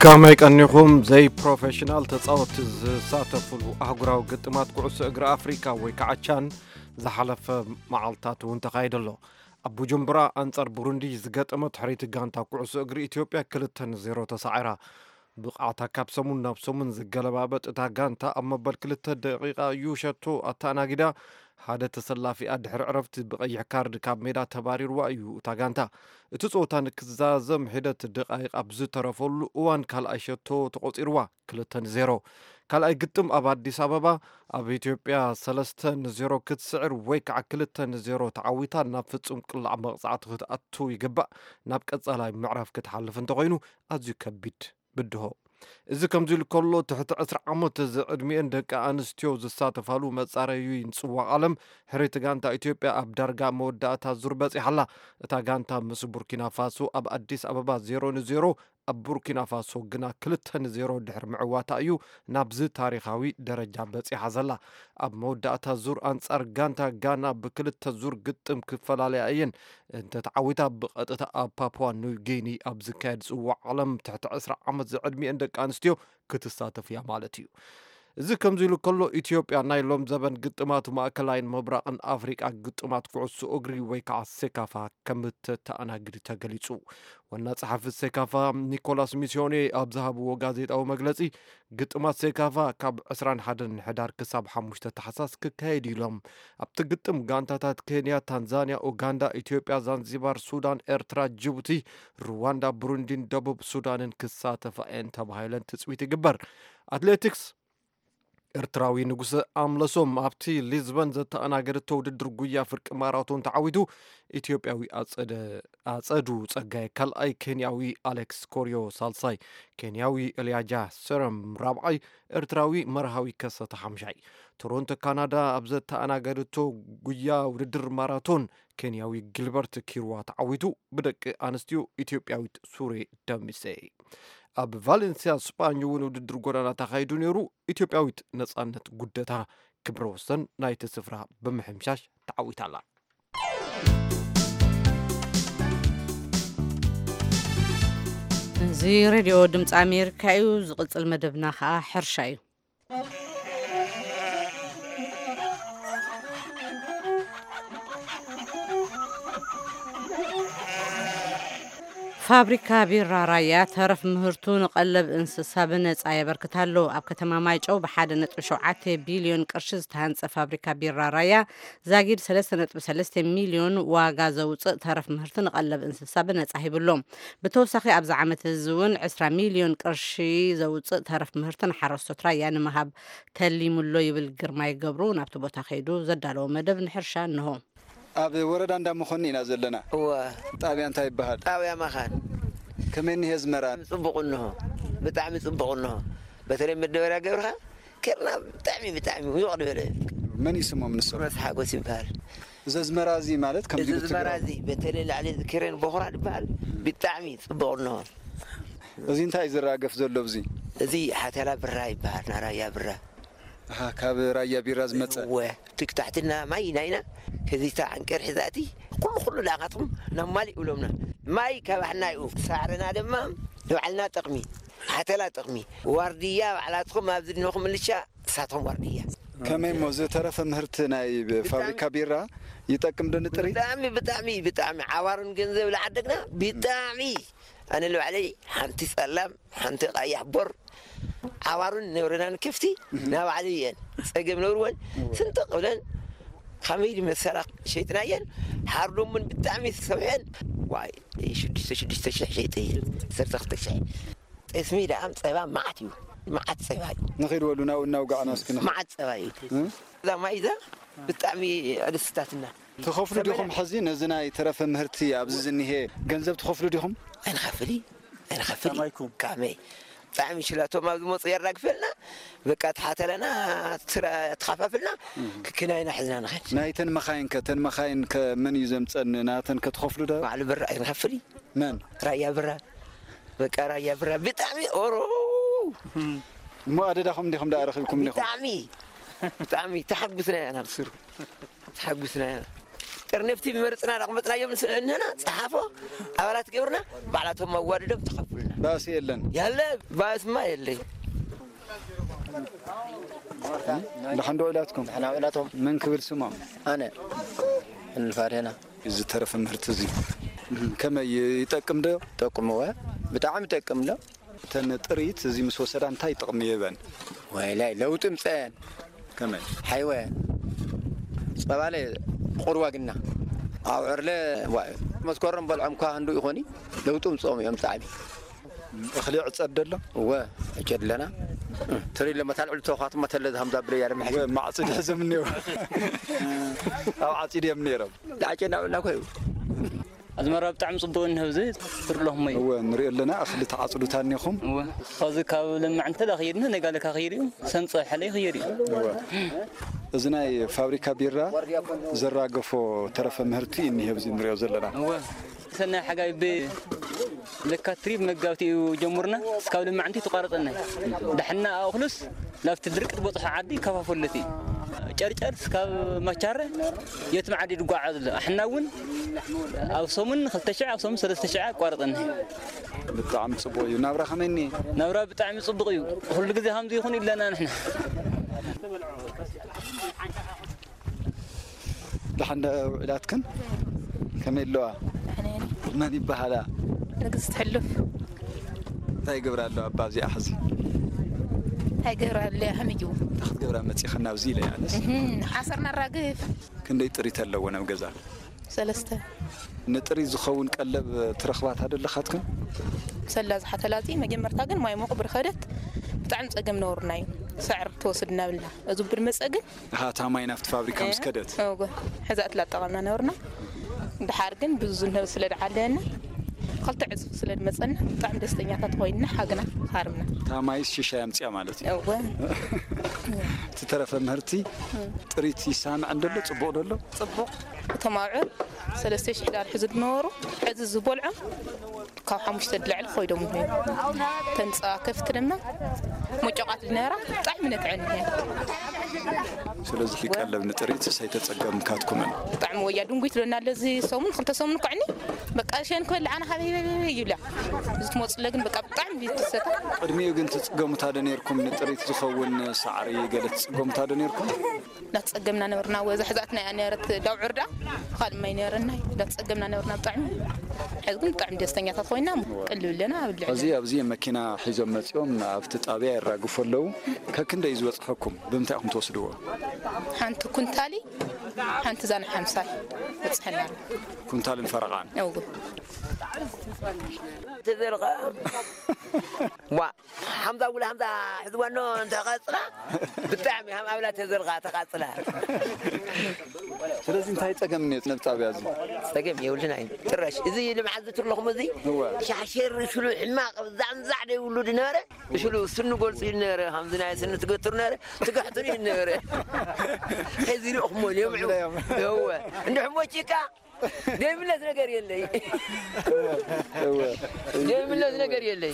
ከመይ ቀኒኹም? ዘይፕሮፌሽናል ተጻወትቲ ዝሳተፉሉ ኣህጉራዊ ግጥማት ኩዕሶ እግሪ ኣፍሪካ ወይ ከዓ ቻን ዝሓለፈ መዓልታት እውን ተኻይዱ ኣሎ። ኣብ ቡጁምቡራ ኣንጻር ቡሩንዲ ዝገጠመት ሕርይቲ ጋንታ ኩዕሶ እግሪ ኢትዮጵያ ክልተ ንዜሮ ተሳዒራ። ብቕዓታ ካብ ሰሙን ናብ ሰሙን ዝገለባበጥ እታ ጋንታ ኣብ መበል ክልተ ደቂቓ እዩ ሸቶ ኣተኣናጊዳ። ሓደ ተሰላፊኣ ድሕሪ ዕረፍቲ ብቐይሕ ካርድ ካብ ሜዳ ተባሪርዋ እዩ እታ ጋንታ። እቲ ጸወታ ንክዛዘም ሒደት ደቓይቕ ኣብ ዝተረፈሉ እዋን ካልኣይ ሸቶ ተቖጺርዋ፣ ክልተ ንዜሮ። ካልኣይ ግጥም ኣብ ኣዲስ ኣበባ ኣብ ኢትዮጵያ ሰለስተ ንዜሮ ክትስዕር ወይ ከዓ ክልተ ንዜሮ ተዓዊታ ናብ ፍጹም ቅላዕ መቕጻዕቲ ክትኣቱ ይግባእ። ናብ ቀጻላይ ምዕራፍ ክትሓልፍ እንተኾይኑ ኣዝዩ ከቢድ ብድሆ። እዚ ከምዚ ኢሉ ከሎ ትሕቲ ዕስራ ዓመት ዝዕድሚኤን ደቂ ኣንስትዮ ዝሳተፋሉ መጻረዩ ይንጽዋ ዓለም ሕርይቲ ጋንታ ኢትዮጵያ ኣብ ዳርጋ መወዳእታ ዙር በጺሓ ኣላ። እታ ጋንታ ምስ ቡርኪና ፋሶ ኣብ ኣዲስ ኣበባ ዜሮ ንዜሮ፣ ኣብ ቡርኪና ፋሶ ግና ክልተ ንዜሮ ድሕሪ ምዕዋታ እዩ ናብዚ ታሪኻዊ ደረጃ በጺሓ ዘላ። ኣብ መወዳእታ ዙር ኣንጻር ጋንታ ጋና ብክልተ ዙር ግጥም ክፈላለያ እየን። እንተተዓዊታ ብቐጥታ ኣብ ፓፑዋ ኒው ጊኒ ኣብ ዝካየድ ጽዋዕ ዓለም ትሕቲ ዕስራ ዓመት ዝዕድሚኤን ደቂ ኣንስትዮ ክትሳተፍ እያ ማለት እዩ። እዚ ከምዚ ኢሉ ከሎ፣ ኢትዮጵያ ናይ ሎም ዘበን ግጥማት ማእከላይን ምብራቕን ኣፍሪቃ ግጥማት ኩዕሶ እግሪ ወይ ከዓ ሴካፋ ከም እተተኣናግድ ተገሊጹ። ዋና ጸሓፊ ሴካፋ ኒኮላስ ሚስዮኔ ኣብ ዝሃብዎ ጋዜጣዊ መግለጺ፣ ግጥማት ሴካፋ ካብ ዕስራን ሓደን ሕዳር ክሳብ ሓሙሽተ ታሕሳስ ክካየድ እዩ ኢሎም። ኣብቲ ግጥም ጋንታታት ኬንያ፣ ታንዛንያ፣ ኡጋንዳ፣ ኢትዮጵያ፣ ዛንዚባር፣ ሱዳን፣ ኤርትራ፣ ጅቡቲ፣ ሩዋንዳ፣ ብሩንዲን ደቡብ ሱዳንን ክሳተፋ እየን ተባሂለን ትጽቢት ይግበር። ኣትሌቲክስ ኤርትራዊ ንጉሰ ኣምለሶም ኣብቲ ሊዝበን ዘተኣናገደቶ ውድድር ጉያ ፍርቂ ማራቶን ተዓዊቱ። ኢትዮጵያዊ ኣጸደ-፣ ኣጸዱ ጸጋይ ካልኣይ፣ ኬንያዊ ኣሌክስ ኮርዮ ሳልሳይ፣ ኬንያዊ ኤልያጃ ሰረም ራብዓይ፣ ኤርትራዊ መርሃዊ ከሰተ ሓምሻይ። ቶሮንቶ ካናዳ ኣብ ዘተኣናገደቶ ጉያ ውድድር ማራቶን ኬንያዊ ጊልበርት ኪርዋ ተዓዊቱ። ብደቂ ኣንስትዮ ኢትዮጵያዊት ሱሬ ደምሴ። ኣብ ቫሌንሲያ ስጳኝ እውን ውድድር ጎዳና ተኻይዱ ነይሩ። ኢትዮጵያዊት ነጻነት ጉደታ ክብረ ወሰን ናይቲ ስፍራ ብምሕምሻሽ ተዓዊታላ። እዚ ሬድዮ ድምፂ ኣሜሪካ እዩ። ዝቕፅል መደብና ከዓ ሕርሻ እዩ። ፋብሪካ ቢራ ራያ ተረፍ ምህርቱ ንቐለብ እንስሳ ብነጻ የበርክት ኣሎ። ኣብ ከተማ ማይጨው ብሓደ ነጥቢ ሸውዓተ ቢልዮን ቅርሺ ዝተሃንጸ ፋብሪካ ቢራ ራያ ዛጊድ ሰለስተ ነጥቢ ሰለስተ ሚልዮን ዋጋ ዘውጽእ ተረፍ ምህርቲ ንቐለብ እንስሳ ብነጻ ሂብሎም። ብተወሳኺ ኣብዚ ዓመት እዚ እውን ዕስራ ሚልዮን ቅርሺ ዘውጽእ ተረፍ ምህርቲ ንሓረስቶት ራያ ንምሃብ ተሊሙሎ ይብል ግርማይ ገብሩ። ናብቲ ቦታ ከይዱ ዘዳለዎ መደብ ንሕርሻ እንሆ። ኣብ ወረዳ እንዳመኾኒ ኢና ዘለና። እወ። ጣብያ እንታይ ይበሃል? ጣብያ መኻን። ከመይ እኒሄ ኣዝመራ? ጽቡቕ እንሆ። ብጣዕሚ ጽቡቕ እንሆ። በተለይ መደበርያ ገብርኻ ኬርና ብጣዕሚ፣ ብጣዕሚ ውቕ ዝበለ። መን እዩ ስሞም ንሶም? ሮስ ሓጎስ ይበሃል። እዚ ኣዝመራ እዚ ማለት ከም እዚ ዲቡ ኣዝመራ ትግራይ እዚ በተለይ ላዕሊ እዚ ክሬን ቦኽራ ዝበሃል ብጣዕሚ ጽቡቕ እንሆ። እዚ እንታይ እዩ ዝራገፍ ዘሎ ኣብዚ? እዚ ሓተላ ብራ ይበሃል፣ ናይ ራያ ብራ። ኣሃ፣ ካብ ራያ ቢራ ዝመጸ። እወ፣ ትክታሕትና ማይ ናይና ከዚታ ዓንቀር ሒዛቲ ኩሉ ኩሉ ለኣኻትኩም ናብ ማሊእ ይብሎምና። ማይ ካባሕና እዩ፣ ሳዕርና ድማ ንባዕልና ጥቕሚ፣ ሓተላ ጥቕሚ። ዋርድያ ባዕላትኩም ኣብዚ ድንኹም ምልሻ፣ እሳቶም ዋርድያ። ከመይ እሞ ዝተረፈ ምህርቲ ናይ ፋብሪካ ቢራ ይጠቅም ዶ ንጥሪት? ብጣዕሚ፣ ብጣዕሚ፣ ብጣዕሚ ዓዋሩን ገንዘብ ለዓደግና ብጣዕሚ። ኣነ ንባዕለይ ሓንቲ ጸላም፣ ሓንቲ ቀያሕ ቦር ዓዋሩን ነብረናን ከፍቲ ናባዕለይ እየን ጸገም ነብርወን ስንጥቕ ብለን ከመይ ድመሰላ ሸይጥናየን። ሓርዶምን ብጣዕሚ ዝሰብሐን ዋይ ሽዱሽተ ሽዱሽተ ሽሕ ሸይጠየን። ዓሰርተ ክልተ ሽሕ። ጠስሚ ደኣ ጸባ መዓት እዩ፣ መዓት ጸባ እዩ። ንኺድ በሉ ናብኡ እናውጋዕና እስኪ ንኺድ። መዓት ጸባ እዩ። እ? እዛ ማይ እዛ ብጣዕሚ ኣደስታትና። ትኸፍሉ ዲኹም ሕዚ ነዚ ናይ ተረፈ ምህርቲ ኣብዚ ዝኒሄ ገንዘብ ትኸፍሉ ዲኹም? ኣይንኸፍል፣ ኣይንኸፍል። ከማይኩም? ከመይ? ብጣዕሚ ሽላቶም ኣብ ዝመፁ የራግፈልና፣ በቃ ተሓተለና፣ ትራ-፣ ተኻፋፍልና፣ ክክናይና ሕዝና ንኸድ። ናይተን መኻይን ከ፣ ተን መኻይን ከ መን እዩ ዘምፀን? ናተን ከ ትኸፍሉ ዶ? ባዕሉ ብራ ኣይንኸፍል እዩ። መን? ራያ ብራ። በቃ ራያ ብራ ብጣዕሚ ኦሮ። እሞ ኣደዳኹም እንዲኹም ደኣ ረኺብኩም እንዲኹም? ብጣዕሚ፣ ብጣዕሚ ተሓጉስና ኢና ብስሩ። ተሓጉስና ኢና። ጥርንፍቲ መርፅና ዳቕመፅናዮም ንስእንና ፀሓፎ ኣባላት ገብርና ባዕላቶም ኣዋድዶም ተኸፍሉና። ባእሲ የለን። ያለ ባእስማ የለይ። ደሓን ዶ ውዒላትኩም? ደሓን ውዒላቶም። መን ክብል ስሞም? ኣነ እንፋዴና። እዚ ተረፈ ምህርቲ እዚ ከመይ ይጠቅም ዶ? ጠቅምወ፣ ብጣዕሚ ይጠቅም ዶ። እተን ጥሪት እዚ ምስ ወሰዳ እንታይ ጥቕሚ ይህበን? ወይላይ ለውጢ ምፀየን። ከመይ? ሓይወ ጸባለ ቁርዋ ግና ኣብ ዕርለ ዋ-፣ መስከረም በልዖም እኳ ክንዱ ይኾኒ ለውጢ ምፅኦም እዮም ብጣዕሚ። እኽሊ ይዕጸድ ደሎ? እወ፣ ዕጨድ ኣለና። ትሪ ለመታል ዕሉ ተውኻትማ ተለ ዝሃምዛ ብለያ ደምሐ። እወ፣ ማዕጺድ ሕዞም እኒኦ። ኣብ ዓጺድ እዮም ነይሮም። ዳዕጨ እናበልና ኮዩ። ኣዝመራ ብጣዕሚ ጽቡቕ እንሆ፣ እዚ ትርለኹም እዩ። እወ፣ ንሪኦ ኣለና፣ እኽሊ ተዓጽዱ ታኒኹም። እወ፣ ኸዚ ካብ ለማዕ እንተ ዳ ኸይድና፣ ነጋለ ካኸይድ እዩ፣ ሰምጸ ሕለ ይኸይድ እዩ። እወ። እዚ ናይ ፋብሪካ ቢራ ዘራገፎ ተረፈ ምህርቲ እዩ እኒሄ፣ ኣብዚ ንሪኦ ዘለና። እወ። ሰናይ ሓጋይ ብ-፣ ለካቲት መጋቢት እዩ ጀምርና፣ እስካብ ለማዕንቲ ተቋረጸና። ዳሕና ኣእኽሉስ ናብቲ ድርቂ ዝበጽሖ ዓዲ ይከፋፈለቲ። ጨርጨር እስካብ ማቻረ የትም ዓዲ ይጓዓዝ ኣሎ። ኣሕና እውን ኣብ ሰሙን ክልተ ሽሕ፣ ኣብ ሰሙን ሰለስተ ሽሕ ኣቋርጸና። ብጣዕሚ ጽቡቕ እዩ። ናብራ ከመይ እኒሄ? ናብራ ብጣዕሚ ጽቡቕ እዩ። ኩሉ ግዜ ከምዚ ይኹን ኢለና ንሕና። ደሓን ዶ ውዒላትክን? ከመይ ኣለዋ? ደሕና እየን። መን ይበሃላ? ንግስቲ ሕሉፍ። እንታይ ይገብራ ኣለዋ እባ ኣብዚኣ ሕዚ? እንታይ ይገብራ ኣለዋ? ከመይ እዩ? እንታይ ክትገብራ መፂኽን ኣብዚ ኢለ ኣነስ? እህም፣ ሓሰር ነራግፍ። ክንደይ ጥሪት ኣለዎ ናብ ገዛ? ሰለስተ። ንጥሪት ዝኸውን ቀለብ ትረኽባ ዶ ኣለኻትክን? ሰላ ዝሓተላ እዚ መጀመርታ ግን ማይ ሞቕ ብርኸደት ብጣዕሚ ጸገም ነበሩና እዩ። ሳዕሪ ትወስድ እናብልና፣ እዚ ብር መጸ ግን እታ ማይ ናብቲ ፋብሪካ ምስ ከደት። እወ፣ ሕዛ እትላ ጠቐምና ነበርና። ድሓር ግን ብዙ ንህብ ስለ ድዓለየና፣ ክልተ ዕጽፍ ስለ ድመጸና፣ ብጣዕሚ ደስተኛታት ኮይንና፣ ሓግና ሃርምና። እታ ማይስ ሽሻይ ኣምጽያ ማለት እዩ። እወ። እቲ ተረፈ ምህርቲ ጥሪት ይሳምዕ እንደሎ፣ ጽቡቕ ደሎ? ጽቡቕ። እቶም ኣብዑር ሰለስተ ሽሕ ዳር ሕዙ ዝነበሩ፣ ሕዚ ዝበልዖም ካብ ሓሙሽተ ድላዕሊ ኮይዶም ይኾኑ። ተንጻ ከፍት ድማ መጮቃት ዝነበራ ብጣዕሚ ነትዐን እየን። ስለዚ ቀለብ ንጥሪት ሰይተጸገምካትኩምን? ብጣዕሚ ወያ ድንጉይ ትለና ኣሎ። እዚ ሰሙን ክልተ ሰሙን ኮዕኒ በቃ ሸን ክበልዕ ኣነ ሃበይ ሃበይ ሃበይ ይብላ። እዚ ትመጽለ ግን በቃ ብጣዕሚ ትሰታ። ቅድሚኡ ግን ትጽገሙታ ዶ ነርኩም? ንጥሪት ዝኸውን ሳዕሪ ገለ ትጽገሙታ ዶ ነርኩም? እናተጸገምና ነበርና። ወዛ ሕዛትና እያ ነረት ዳውዕር ደኣ ካልእ ማይ ነረና። እናተጸገምና ነበርና ብጣዕሚ። ሕዚ ግን ብጣዕሚ ደስተኛታት ኮይና ቅልብ ኣለና ኣብ ልዕሊ። እዚ ኣብዚ መኪና ሒዞም መጺኦም ኣብቲ ጣብያ የራግፉ ኣለዉ። ከክንደይ ዝበጽሐኩም? ብምንታይ ኢኹም ትወስድዎ? ሓንቲ ኩንታሊ ሓንቲ ዛን ሓምሳ በጽሐና ኣሎ። ኩንታልን ፈረቓን? እው። ተዘርቐ። ዋ፣ ሓምዛ ጉላ ሓምዛ ሕዝዋ ኖ እንተ ቐጽላ፣ ብጣዕሚ ሃም ኣብላ ተዘርቓ ተቓጽላ። ስለዚ እንታይ ጸገም እኒኦ ነብ ጣብያ እዚ? ጸገም የብልናይ። ጥራሽ እዚ ልምዓት ዝትርለኹም እዚ እወ። ሻሸር ሽሉ ሕማቕ ዛንዛዕ ደይብሉ ድነበረ፣ ሽሉ ስኑ ጎልጽ ይነበረ፣ ከምዚ ናይ ስኑ ትገትሩ ነበረ፣ ትጋሕቱን ይነበረ። ሕዚ ርእኹሞ ዮም። እወ። እንድሕሞ ጭቃ ዘይብለት ነገር የለይ። እወ። ዘይብለት ነገር የለይ።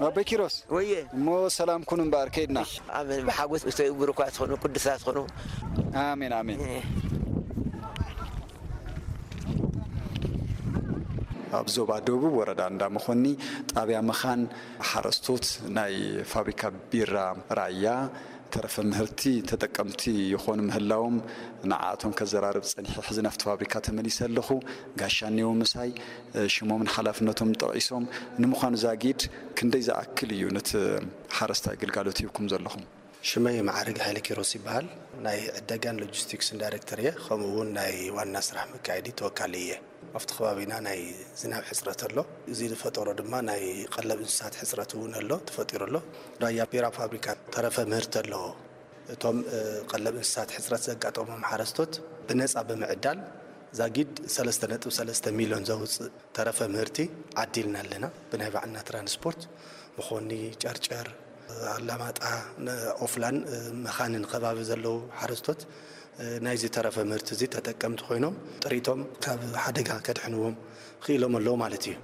ኣቦይ ኪሮስ፣ ወየ። እሞ ሰላም ኩኑ እምበኣር፣ ከይድና። ኣሜን። ብሓጎስ እተይ እግሩ እኳ ትኾኑ፣ ቅዱሳት ትኾኑ። ኣሜን፣ ኣሜን። እ። ኣብ ዞባ ደቡብ ወረዳ እንዳ መኾኒ ጣብያ መኻን ሓረስቶት ናይ ፋብሪካ ቢራ ራያ ተረፈ ምህርቲ ተጠቀምቲ ይኾኑ ምህላዎም ንዓኣቶም ከዘራርብ ጸኒሐ። ሕዚ ናብቲ ፋብሪካ ተመሊሰ ኣለኹ። ጋሻ እኒኦ ምሳይ፣ ሽሞምን ሓላፍነቶም ጠቒሶም። ንምዃኑ ዛጊድ ክንደይ ዝኣክል እዩ ነቲ ሓረስታይ ግልጋሎት ሂብኩም ዘለኹም? ሽመይ መዓርግ ሃይለ ኪሮስ ይበሃል። ናይ ዕደጋን ሎጂስቲክስን ዳይሬክተር እየ። ከምኡ እውን ናይ ዋና ስራሕ መካየዲ ተወካሊ እየ። ኣብቲ ከባቢና ናይ ዝናብ ሕፅረት ኣሎ። እዚ ዝፈጠሮ ድማ ናይ ቀለብ እንስሳት ሕፅረት እውን ኣሎ፣ ተፈጢሩ ኣሎ። ራያ ቢራ ፋብሪካ ተረፈ ምህርቲ ኣለዎ። እቶም፣ እ፣ ቀለብ እንስሳት ሕፅረት ዘጋጠሞም ሓረስቶት ብነፃ ብምዕዳል ዛጊድ ሰለስተ ነጥቢ ሰለስተ ሚልዮን ዘውፅእ ተረፈ ምህርቲ ዓዲልና ኣለና። ብናይ ባዕልና ትራንስፖርት መኾኒ፣ ጨርጨር፣ ኣላማጣ፣ ነ-፣ ኦፍላን፣ እ፣ መኻንን ከባቢ ዘለዉ ሓረስቶት፣ እ፣ ናይዚ ተረፈ ምህርቲ እዚ ተጠቀምቲ ኮይኖም ጥሪቶም ካብ ሓደጋ ከድሕንዎም ክኢሎም ኣለዉ ማለት እዩ።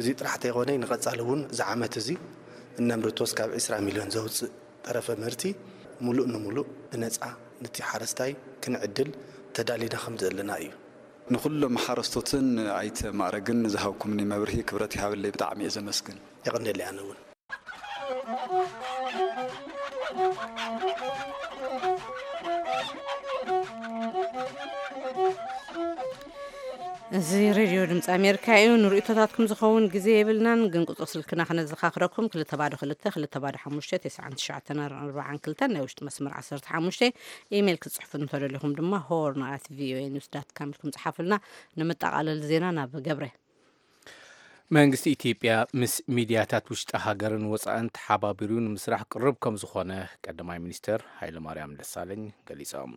እዚ ጥራሕ ተይኮነ ንቐጻሊ እውን እዚ ዓመት እዚ እነምርቶ እስካብ ዕስራ ሚልዮን ዘውፅእ ተረፈ ምህርቲ ሙሉእ ንሙሉእ ብነፃ ነቲ ሓረስታይ ክንዕድል ተዳሊና ከም ዘለና እዩ። ንኹሎም ሓረስቶትን ኣይተ ማእረግን ዝሃብኩምኒ መብርሂ ክብረት ይሃበለይ፣ ብጣዕሚ እየ ዘመስግን። የቐንየለይ ኣነ እውን። እዚ ሬድዮ ድምፂ ኣሜሪካ እዩ። ንርእይቶታትኩም ዝኸውን ግዜ የብልናን፣ ግን ቁፅሪ ስልክና ክነዘኻኽረኩም፣ ክልተ ባዶ ክልተ፣ ክልተ ባዶ ሓሙሽተ፣ ተስዓን ትሽዓተን ኣርባዓን ክልተን፣ ናይ ውሽጢ መስመር ዓሰርተ ሓሙሽተ። ኢሜይል ክትጽሕፉ እንተደሊኹም ድማ ሆርን ኣት ቪኦኤ ኒውስ ዳት ካም ኢልኩም ጽሓፉልና። ንምጠቓለል ዜና ናብ ገብረ። መንግስቲ ኢትዮጵያ ምስ ሚድያታት ውሽጢ ሃገርን ወጻእን ተሓባቢሩ ንምስራሕ ቅሩብ ከም ዝኾነ ቀዳማይ ሚኒስትር ሃይለማርያም ደሳለኝ ገሊጾም።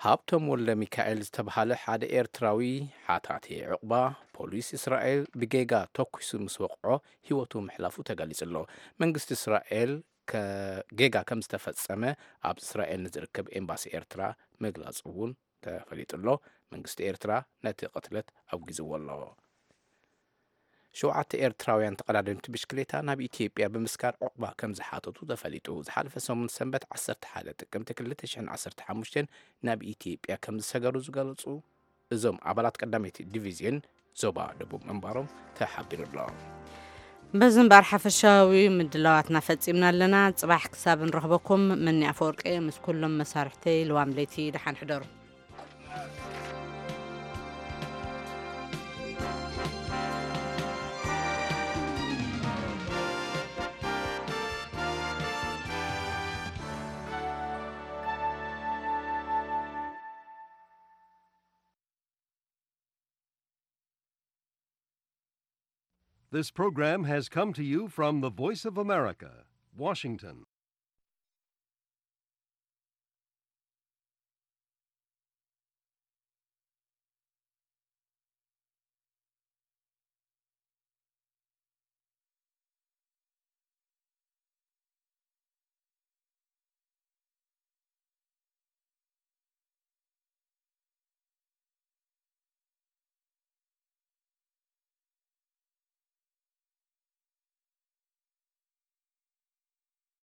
ሃብቶም ወልደ ሚካኤል ዝተብሃለ ሓደ ኤርትራዊ ሓታቲ ዑቕባ ፖሊስ እስራኤል ብጌጋ ተኲሱ ምስ ወቕዖ ህይወቱ ምሕላፉ ተገሊጹ ኣሎ። መንግስቲ እስራኤል ከ-፣ ጌጋ ከም ዝተፈጸመ ኣብ እስራኤል ንዝርከብ ኤምባሲ ኤርትራ ምግላጹ እውን ተፈሊጡ ኣሎ። መንግስቲ ኤርትራ ነቲ ቅትለት ኣውጊዝዎ ኣሎ። ሸውዓተ ኤርትራውያን ተቐዳደምቲ ብሽክሌታ ናብ ኢትዮጵያ ብምስጋር ዑቕባ ከም ዝሓተቱ ተፈሊጡ። ዝሓለፈ ሰሙን ሰንበት ዓሰርተ ሓደ ጥቅምቲ ክልተ ሽሕን ዓሰርተ ሓሙሽተን ናብ ኢትዮጵያ ከም ዝሰገሩ ዝገለጹ እዞም ኣባላት ቀዳመይቲ ዲቪዝዮን ዞባ ደቡብ ምንባሮም ተሓቢሩ ኣሎ። በዚ እምበኣር ሓፈሻዊ ምድላዋትና ፈጺምና ኣለና። ጽባሕ ክሳብ ንረኽበኩም፣ መኒ ኣፈወርቂ ምስ ኩሎም መሳርሕተይ ልዋም ለይቲ ደሓን ሕደሩ። This program has come to you from the Voice of America, Washington.